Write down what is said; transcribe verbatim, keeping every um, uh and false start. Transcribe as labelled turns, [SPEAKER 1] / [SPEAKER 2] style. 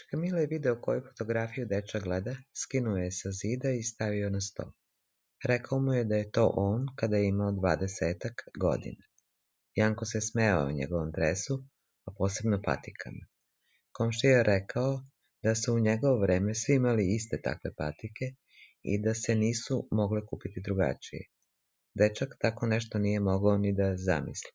[SPEAKER 1] Čika Mile je video koju fotografiju dečak gleda, skinuo je sa zida i stavio na sto. Rekao mu je da je to on kada je imao dvadesetak godina. Janko se smejao njegovom dresu, a posebno patikama. Komšija je rekao da su u njegovo vreme svi imali iste takve patike i da se nisu mogle kupiti drugačije. Dečak tako nešto nije mogao ni da zamisli.